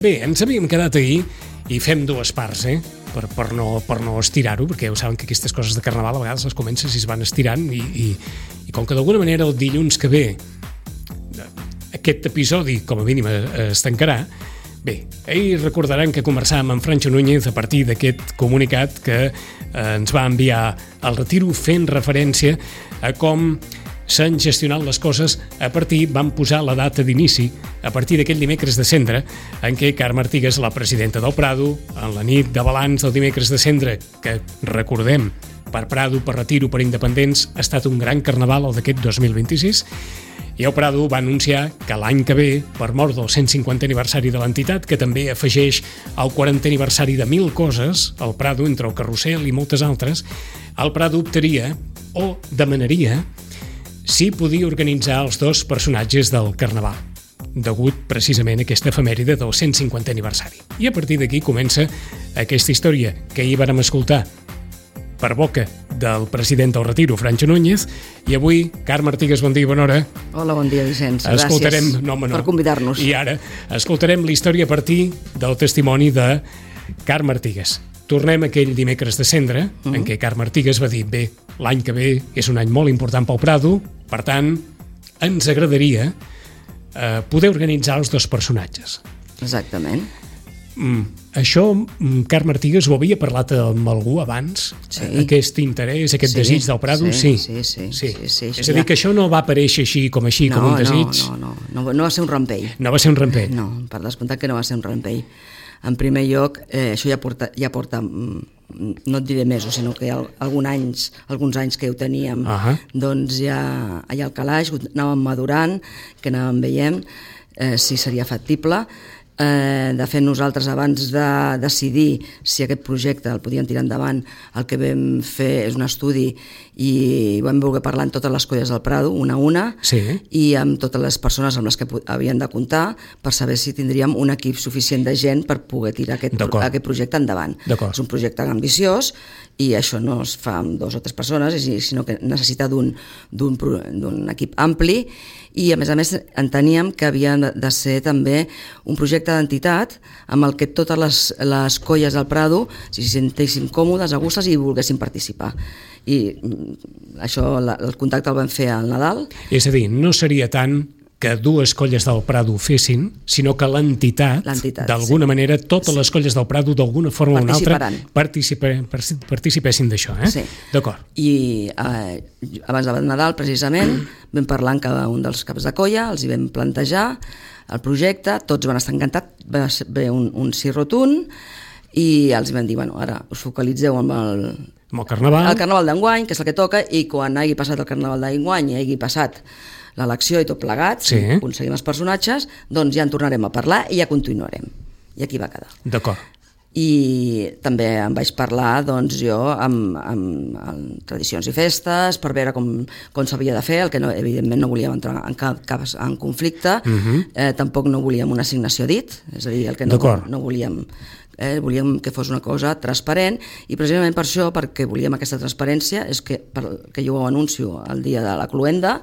Bé, ens havíem quedat ahir i fem dues parts, per no estirar-ho, perquè ja ho saben que aquestes coses de Carnaval a vegades les comences i es van estirant i com que d'alguna manera el dilluns que ve aquest episodi com a mínim es tancarà, bé, ahir recordaran que conversàvem amb Francho Núñez a partir d'aquest comunicat que ens va enviar al Retiro fent referència a com s'han gestionat les coses van posar la data d'inici a partir d'aquell dimecres de cendre en què Carme Artigas, la presidenta del Prado, en la nit de balanç del dimecres de cendre, que recordem per Prado, per Retiro, per Independents, ha estat un gran carnaval el d'aquest 2026, i el Prado va anunciar que l'any que ve, per mort del 150 aniversari de l'entitat, que també afegeix el 40 aniversari de 1000 coses, el Prado, entre el carrusel i moltes altres, el Prado optaria o demanaria si podia organitzar els dos personatges del Carnaval, degut precisament a aquesta efemèride del 150 aniversari. I a partir d'aquí comença aquesta història que ahir vàrem escoltar per boca del president del Retiro, Francho Núñez, i avui, Carme Artigas, bon dia, bona hora. Hola, bon dia, Vicenç. Gràcies per convidar-nos. I ara escoltarem la història a partir del testimoni de Carme Artigas. Tornem aquell dimecres de cendre, en què Carme Artigas va dir, bé, l'any que ve és un any molt important pel Prado, per tant, ens agradaria poder organitzar els dos personatges. Exactament. Això, Carme Artigas, ho havia parlat amb algú abans? Sí. Aquest interès, aquest desig del Prado? Sí. És a dir, que això no va aparèixer així com un desig? No va ser un rampell. No va ser un rampell? No, per descomptat que no va ser un rampell. En primer lloc, això ja porta no et diré mesos, sinó que alguns anys que ho teníem, doncs ja allà al calaix, ho anàvem madurant, que anàvem veient si seria factible. De fet, nosaltres, abans de decidir si aquest projecte el podíem tirar endavant, el que vam fer és un estudi i vam voler parlar amb totes les colles del Prado, una a una, i amb totes les persones amb les que havien de comptar per saber si tindríem un equip suficient de gent per poder tirar aquest projecte endavant. És un projecte ambiciós i això no es fa amb 2 o 3 persones, sinó que necessita d'un equip ampli, i a més enteníem que havia de ser també un projecte d'entitat amb el que totes les colles del Prado s'hi sentessin còmodes, a gustes i volguessin participar. I això, el contacte el vam fer al Nadal. És a dir, no seria tant que 2 colles del Prado fessin, sinó que l'entitat, d'alguna manera, totes les colles del Prado, d'alguna forma o una altra, participessin d'això. Sí. D'acord. I abans de Nadal, precisament, vam parlar amb cada un dels caps de colla, els hi vam plantejar el projecte, tots van estar encantats, va haver un sí rotund, i els vam dir, bueno, ara us focalitzeu amb el Carnaval. El Carnaval d'enguany, que és el que toca, i quan hagi passat el Carnaval d'enguany i hagi passat l'elecció i tot plegat, si aconseguim els personatges, doncs ja en tornarem a parlar i ja continuarem. I aquí va quedar. D'acord. I també em vaig parlar, doncs, jo amb tradicions i festes per veure com s'havia de fer, el que evidentment no volíem entrar en cap cas en conflicte, tampoc no volíem una assignació dit, és a dir, el que no volíem... volíem que fos una cosa transparent, i precisament per això, perquè volíem aquesta transparència, és que jo ho anuncio el dia de la cloenda,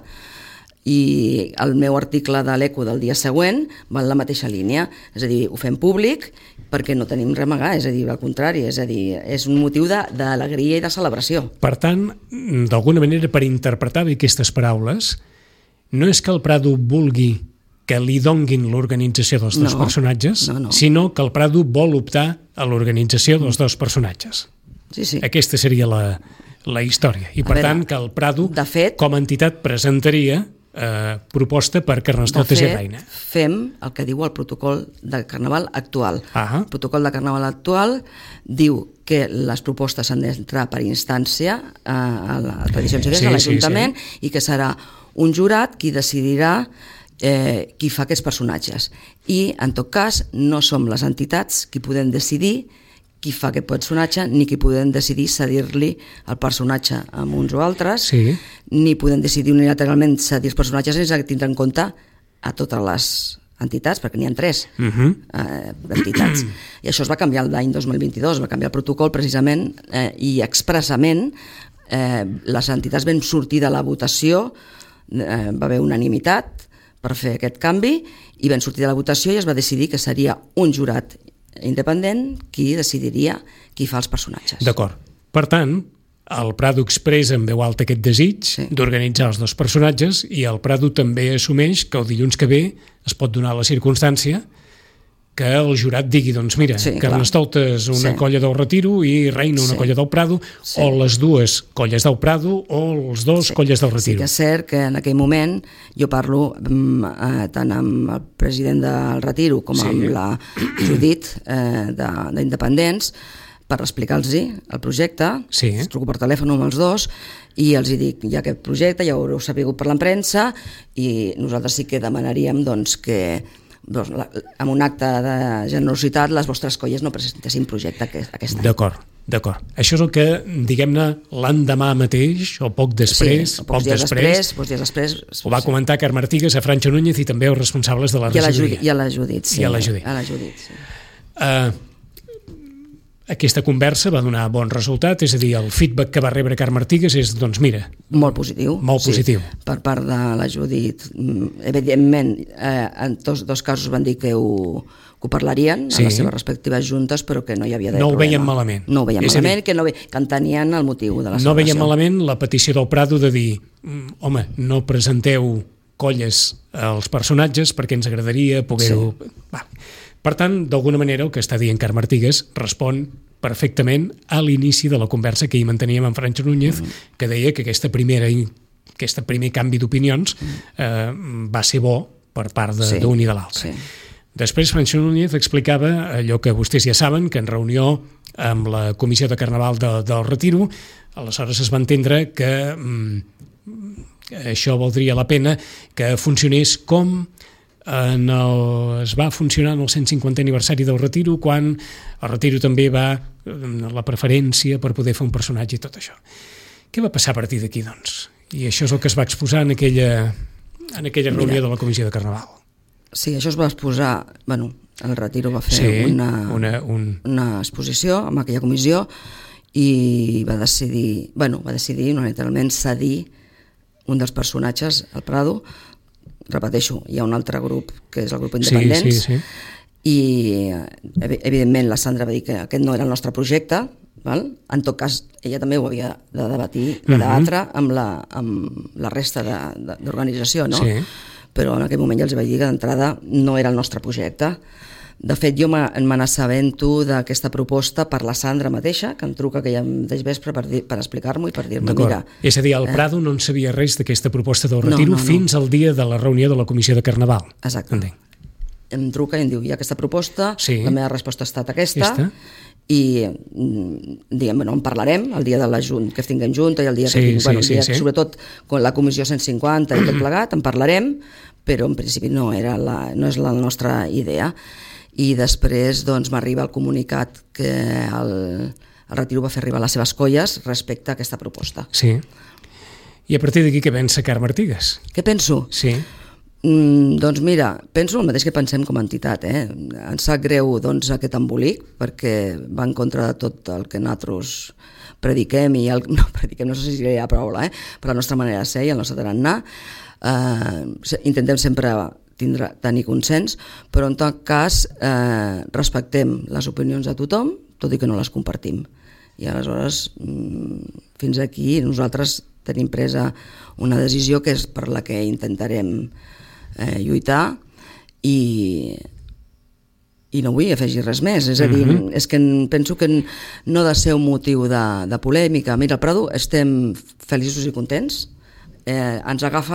i el meu article de l'Eco del dia següent va en la mateixa línia, és a dir, ho fem públic perquè no tenim res a amagar, és a dir, al contrari, és un motiu d'alegria i de celebració. Per tant, d'alguna manera, per interpretar bé aquestes paraules, no és que el Prado vulgui que li donguin l'organització dels dos personatges, sinó que el Prado vol optar a l'organització dels dos personatges. Sí. Aquesta seria la història. I per tant, que el Prado, com a entitat, presentaria proposta per Carnestoltes i Reina. Fem el que diu el protocol de Carnaval actual. El protocol de Carnaval actual diu que les propostes han d'entrar per instància a Tradicions i Festes, a l'Ajuntament, i que serà un jurat qui decidirà qui fa aquests personatges. I, en tot cas, no som les entitats qui podem decidir qui fa aquest personatge, ni qui podem decidir cedir-li el personatge a uns o altres, ni podem decidir unilateralment cedir els personatges sense tindre en compte a totes les entitats, perquè n'hi ha 3 entitats. I això es va canviar l'any 2022, va canviar el protocol precisament i expressament les entitats vam sortir de la votació, va haver unanimitat per fer aquest canvi, i vam sortir de la votació i es va decidir que seria un jurat independent qui decidiria qui fa els personatges. D'acord. Per tant, el Prado expressa en veu alta aquest desig d'organitzar els dos personatges i el Prado també assumeix que el dilluns que ve es pot donar la circumstància que el jurat digui, doncs mira, Carnestoltes una colla del Retiro i Reina una colla del Prado, o les dues colles del Prado o els dos colles del Retiro. Sí que és cert que en aquell moment jo parlo tant amb el president del Retiro com amb la Judit d'Independents per explicar-los el projecte, truco per telèfon amb els dos i els dic, hi ha aquest projecte, ja ho haureu sabut per la premsa i nosaltres sí que demanaríem que amb un acte de generositat les vostres colles no presentessin projecte aquest any. D'acord. Això és el que, diguem-ne, l'endemà mateix o poc després, pocs dies després ho va comentar Carme Artigas a Francho Núñez i també els responsables de la regidoria. I a la Judit, sí. Aquesta conversa va donar bon resultat, és a dir, el feedback que va rebre Carme Artigas és, doncs mira... Molt positiu. Per part de la Judit. Evidentment, en tots dos casos van dir que ho parlarien a les seves respectives juntes, però que no hi havia no ho veien malament. No ho veien malament, que entenien el motiu de la celebració. No veien malament la petició del Prado de dir, home, no presenteu colles als personatges perquè ens agradaria poder-ho... Per tant, d'alguna manera, el que està dient Carme Artigas respon perfectament a l'inici de la conversa que hi manteníem amb Francho Núñez, que deia que aquest primer canvi d'opinions va ser bo per part d'un i de l'altre. Després, Francho Núñez explicava allò que vostès ja saben, que en reunió amb la Comissió de Carnaval del Retiro, aleshores es va entendre que això valdria la pena que funcionés com es va funcionar en el 150 aniversari del Retiro, quan el Retiro també va la preferència per poder fer un personatge i tot això. Què va passar a partir d'aquí, doncs? I això és el que es va exposar en aquella reunió de la Comissió de Carnaval. Sí, això es va exposar... Bueno, el Retiro va fer una exposició amb aquella comissió i va decidir unilateralment cedir un dels personatges, el Prado. Repeteixo, hi ha un altre grup que és el grup Independents i evidentment la Sandra va dir que aquest no era el nostre projecte, en tot cas ella també ho havia de debatre amb la resta d'organització, però en aquell moment ja els vaig dir que d'entrada no era el nostre projecte. De fet, jo me n'assabento d'aquesta proposta per la Sandra mateixa, que em truca aquell mateix vespre per explicar-m'ho i per dir-me, mira... És a dir, el Prado no en sabia res d'aquesta proposta del Retiro fins al dia de la reunió de la Comissió de Carnaval. Exacte. Em truca i em diu, hi ha aquesta proposta, la meva resposta ha estat aquesta, i diguem, en parlarem el dia de la Junta, que tinguem Junta i el dia que tinguem, sobretot con la Comissió 150 i tot plegat, en parlarem, però en principi no és la nostra idea. I després m'arriba el comunicat que el Retiro va fer arribar les seves colles respecte a aquesta proposta. Sí. I a partir d'aquí què pensa Carme Artigas? Què penso? Sí. Doncs mira, penso el mateix que pensem com a entitat. Ens sap greu aquest embolic perquè va en contra de tot el que nosaltres prediquem i no sé si hi ha paraula, per la nostra manera de ser i el nostre tarannà. Intentem sempre tenir consens, però en tot cas respectem les opinions de tothom, tot i que no les compartim. I aleshores, fins aquí, nosaltres tenim presa una decisió que és per la que intentarem lluitar i no vull afegir res més. És a dir, és que penso que no ha de ser un motiu de polèmica. Mira, al Prado estem feliços i contents. Ens agafa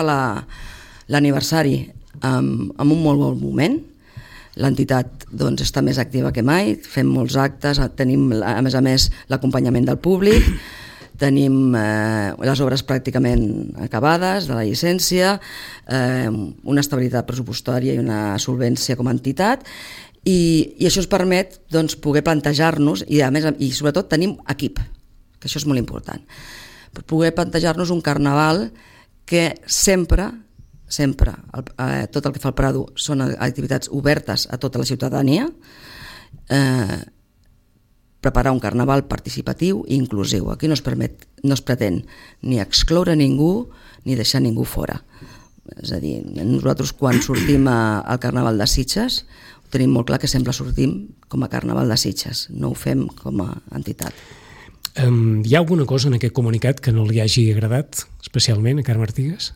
l'aniversari amb un molt bon moment. L'entitat està més activa que mai, fem molts actes, tenim a més l'acompanyament del públic, tenim les obres pràcticament acabades de la llicència, una estabilitat pressupostària i una solvència com a entitat, i això ens permet poder plantejar-nos i sobretot tenim equip, que això és molt important, per poder plantejar-nos un carnaval que sempre tot el que fa el Prado són activitats obertes a tota la ciutadania, preparar un carnaval participatiu i inclusiu. Aquí no es pretén ni excloure ningú ni deixar ningú fora. És a dir, nosaltres quan sortim al Carnaval de Sitges ho tenim molt clar que sempre sortim com a Carnaval de Sitges, no ho fem com a entitat. Hi ha alguna cosa en aquest comunicat que no li hagi agradat especialment a Carme Artigas?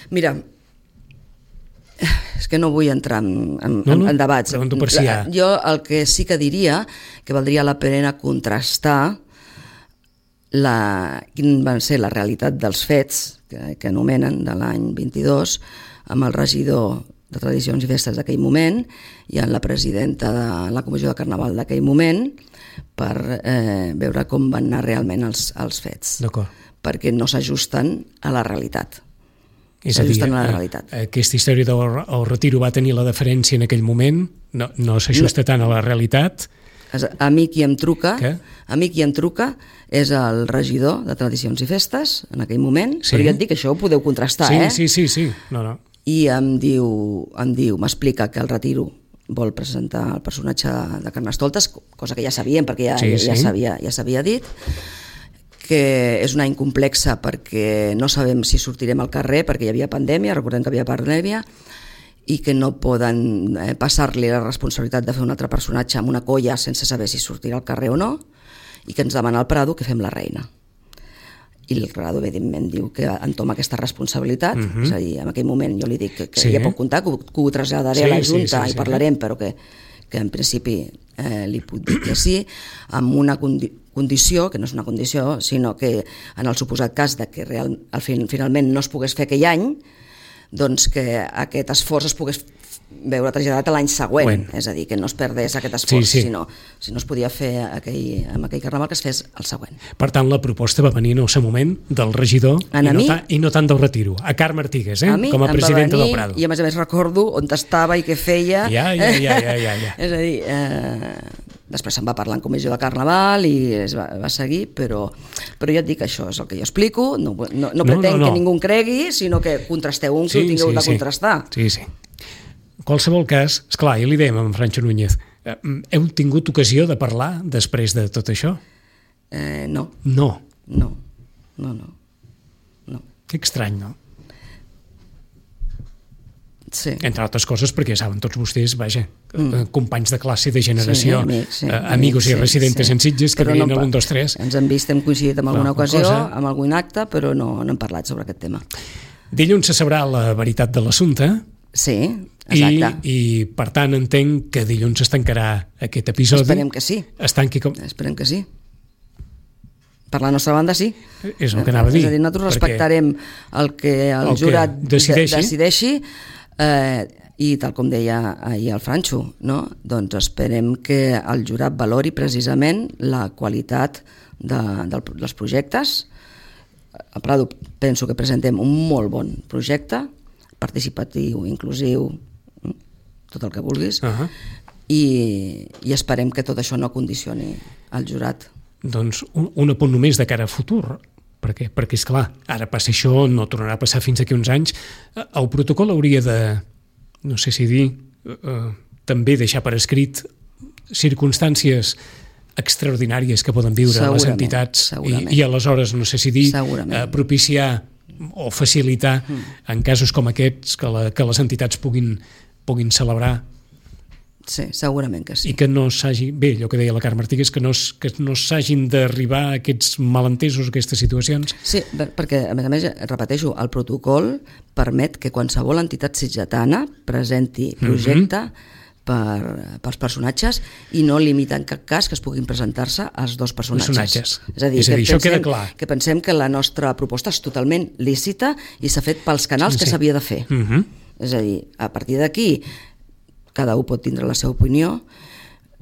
Mira, és que no vull entrar en debats. Per si jo el que sí que diria que valdria la pena contrastar quin va ser la realitat dels fets que anomenen de l'any 22 amb el regidor de Tradicions i Festes d'aquell moment i amb la presidenta de la Comissió de Carnaval d'aquell moment per veure com van anar realment els fets. D'acord. Perquè no s'ajusten a la realitat. És a dir, aquesta història del retiro va tenir la deferència en aquell moment, no s'ajusta tant a la realitat. A mi qui em truca és el regidor de Tradicions i Festes en aquell moment, però jo et dic que això ho podeu contrastar, Sí. I em diu, m'explica que el retiro vol presentar el personatge de Carnestoltes, cosa que ja sabíem perquè ja s'havia dit, que és un any complexa perquè no sabem si sortirem al carrer perquè hi havia pandèmia, recordem que hi havia pandèmia, i que no poden passar-li la responsabilitat de fer un altre personatge amb una colla sense saber si sortirà al carrer o no, i que ens demana al Prado que fem la reina. I el Prado evidentment diu que entoma aquesta responsabilitat, és a dir, en aquell moment jo li dic que ja pot comptar, que ho traslladaré a la Junta i parlarem, però que en principi li puc dir que sí, amb una condició, que no és una condició, sinó que en el suposat cas de que finalment no es pogués fer aquell any, doncs que aquest esforç es pogués veure traslladat a l'any següent, és a dir, que no es perdés aquest esforç, sinó si no es podia fer amb aquell carnaval que es fes el següent. Per tant, la proposta va venir en el seu moment del regidor i no tant del retiro, a Carme Artigas, com a presidenta del Prado. I a més recordo on estava i què feia. Ja. És a dir, després se'n va parlar en comissió de Carnaval i es va seguir, però jo et dic, això és el que jo explico, no pretenc que ningú cregui, sinó que contrasteu que ho tingueu de contrastar. Sí. En qualsevol cas, esclar, ja li dèiem amb Francho Núñez, heu tingut ocasió de parlar després de tot això? No. No? No. Que estrany, no? Sí. Entre altres coses perquè saben tots vostès, companys de classe, de generació, amigos i residentes en Sitges que venien al 1, 2, 3. Ens hem vist, hem coincidit en alguna ocasió, amb algun acte, però no hem parlat sobre aquest tema. Dilluns se sabrà la veritat de l'assumpte. Sí, exacte. I per tant entenc que dilluns es tancarà aquest episodi. Esperem que sí. Esperem que sí. Per la nostra banda sí. És el que anava a dir. És a dir, nosaltres respectarem el que el jurat decideixi i tal com deia ahir el Francho, doncs esperem que el jurat valori precisament la qualitat dels projectes. A Prado penso que presentem un molt bon projecte, participatiu, inclusiu, tot el que vulguis, i esperem que tot això no condicioni el jurat. Doncs un apunt només de cara a futur. Per què? Perquè, esclar, ara passa això, no tornarà a passar fins aquí uns anys. El protocol hauria de, no sé si dir, també deixar per escrit circumstàncies extraordinàries que poden viure les entitats i aleshores, no sé si dir, propiciar o facilitar en casos com aquests que les entitats puguin celebrar. Sí, segurament que sí. I que no s'hagi, bé, allò que deia la Carme Artigas, que no s'hagin d'arribar a aquests malentesos, aquestes situacions. Sí, perquè a més, repeteixo, el protocol permet que qualsevol entitat sitgetana presenti projecte pels personatges i no limita en cap cas que es puguin presentar-se els dos personatges. És a dir, això queda clar. Que pensem que la nostra proposta és totalment lícita i s'ha fet pels canals que s'havia de fer. És a dir, a partir d'aquí cada un pot tindre la seva opinió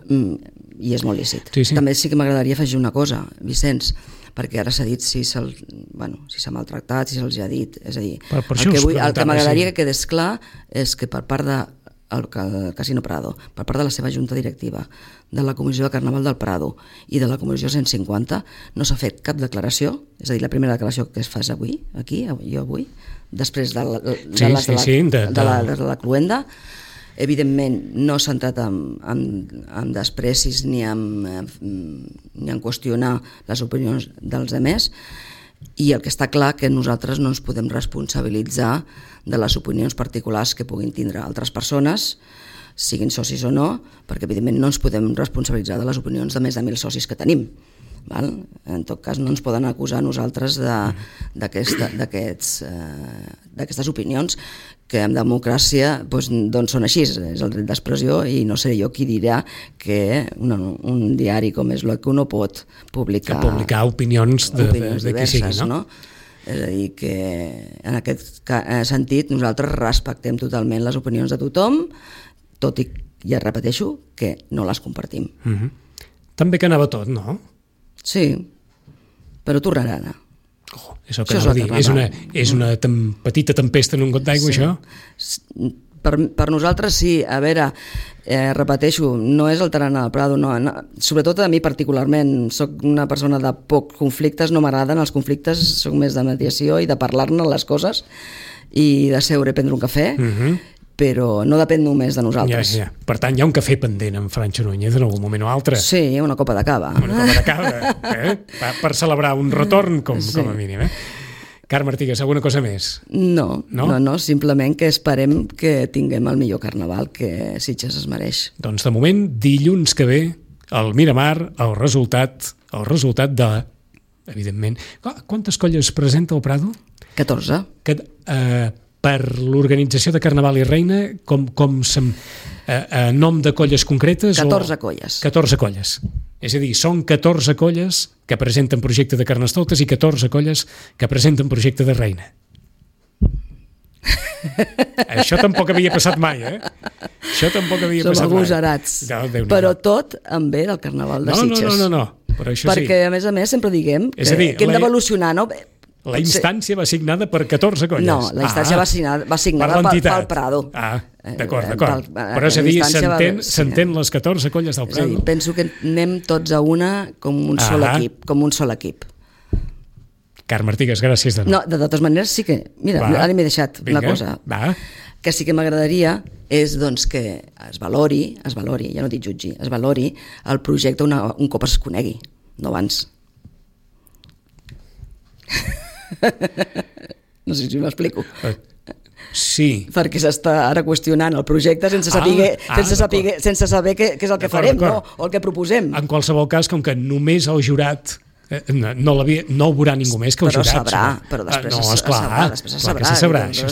i és molt lícit. També sí que m'agradaria afegir una cosa, Vicenç, perquè ara s'ha dit si s'ha maltractat, si se'ls ha dit. És a dir, el que m'agradaria que quedés clar és que per part del Casino Prado, per part de la seva junta directiva, de la Comissió de Carnaval del Prado i de la Comissió 150, no s'ha fet cap declaració, és a dir, la primera declaració que es fa avui, després de la cloenda. Evidentment no s'ha entrat en desprecis ni en qüestionar les opinions dels altres I el que està clar que nosaltres no ens podem responsabilitzar de les opinions particulars que puguin tindre altres persones, siguin socis o no, perquè evidentment no ens podem responsabilitzar de les opinions de més de 1.000 socis que tenim. Val? En tot cas no ens poden acusar a nosaltres d'aquestes opinions que en democràcia doncs són així, és el dret d'expressió, i no seré jo qui dirà que un diari com és l'Eco no pot publicar opinions de qui sigui, no? És a dir, que en aquest sentit nosaltres respectem totalment les opinions de tothom, tot i, ja repeteixo, que no les compartim. També que anava tot, no? Sí, però tornarà a anar. És el que anava a dir. És una petita tempesta en un got d'aigua, això? Per nosaltres sí. A veure, repeteixo, no és el tarannà del Prado, no. Sobretot a mi particularment, soc una persona de poc conflictes, no m'agraden els conflictes, soc més de mediació i de parlar-ne les coses i de seure i prendre un cafè, però no depèn només de nosaltres. Per tant, hi ha un cafè pendent amb Francho Núñez en algun moment o altre. Sí, una copa de cava. Una copa de cava, per celebrar un retorn, com a mínim. Carme Artigas, alguna cosa més? No, simplement que esperem que tinguem el millor carnaval que Sitges es mereix. Doncs de moment, dilluns que ve, al Miramar, el resultat de, evidentment... Quantes colles presenta el Prado? 14. Per l'organització de Carnaval i Reina, a nom de colles concretes? 14 colles. 14 colles. És a dir, són 14 colles que presenten projecte de Carnestoltes i 14 colles que presenten projecte de Reina. Això tampoc havia passat mai, Això tampoc havia passat mai. Som agosarats. Però tot en bé del Carnaval de Sitges. No. Però això perquè, a més, sempre diguem que hem d'evolucionar, no? La instància va signada per 14 colles. No, la instància va signada pel Prado. D'acord. Però és a dir, s'entén les 14 colles del Prado. És a dir, penso que anem tots a una com un sol equip. Carme Artigas, gràcies de nou. No, de totes maneres sí que... Mira, ara m'he deixat una cosa. Que sí que m'agradaria és doncs, que es valori, ja no dic jutgi, es valori el projecte un cop es conegui, no abans. No sé si m'explico. Sí. Perquè s'està ara qüestionant el projecte sense saber què és el que farem, no? O el que proposem. En qualsevol cas, com que només el jurat no ho veurà ningú més que el jurat. Però després se sabrà. Això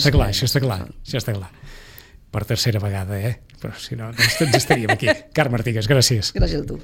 està clar. Per tercera vegada, però si no, ens estaríem aquí. Carme Artigas, gràcies. Gràcies a tu.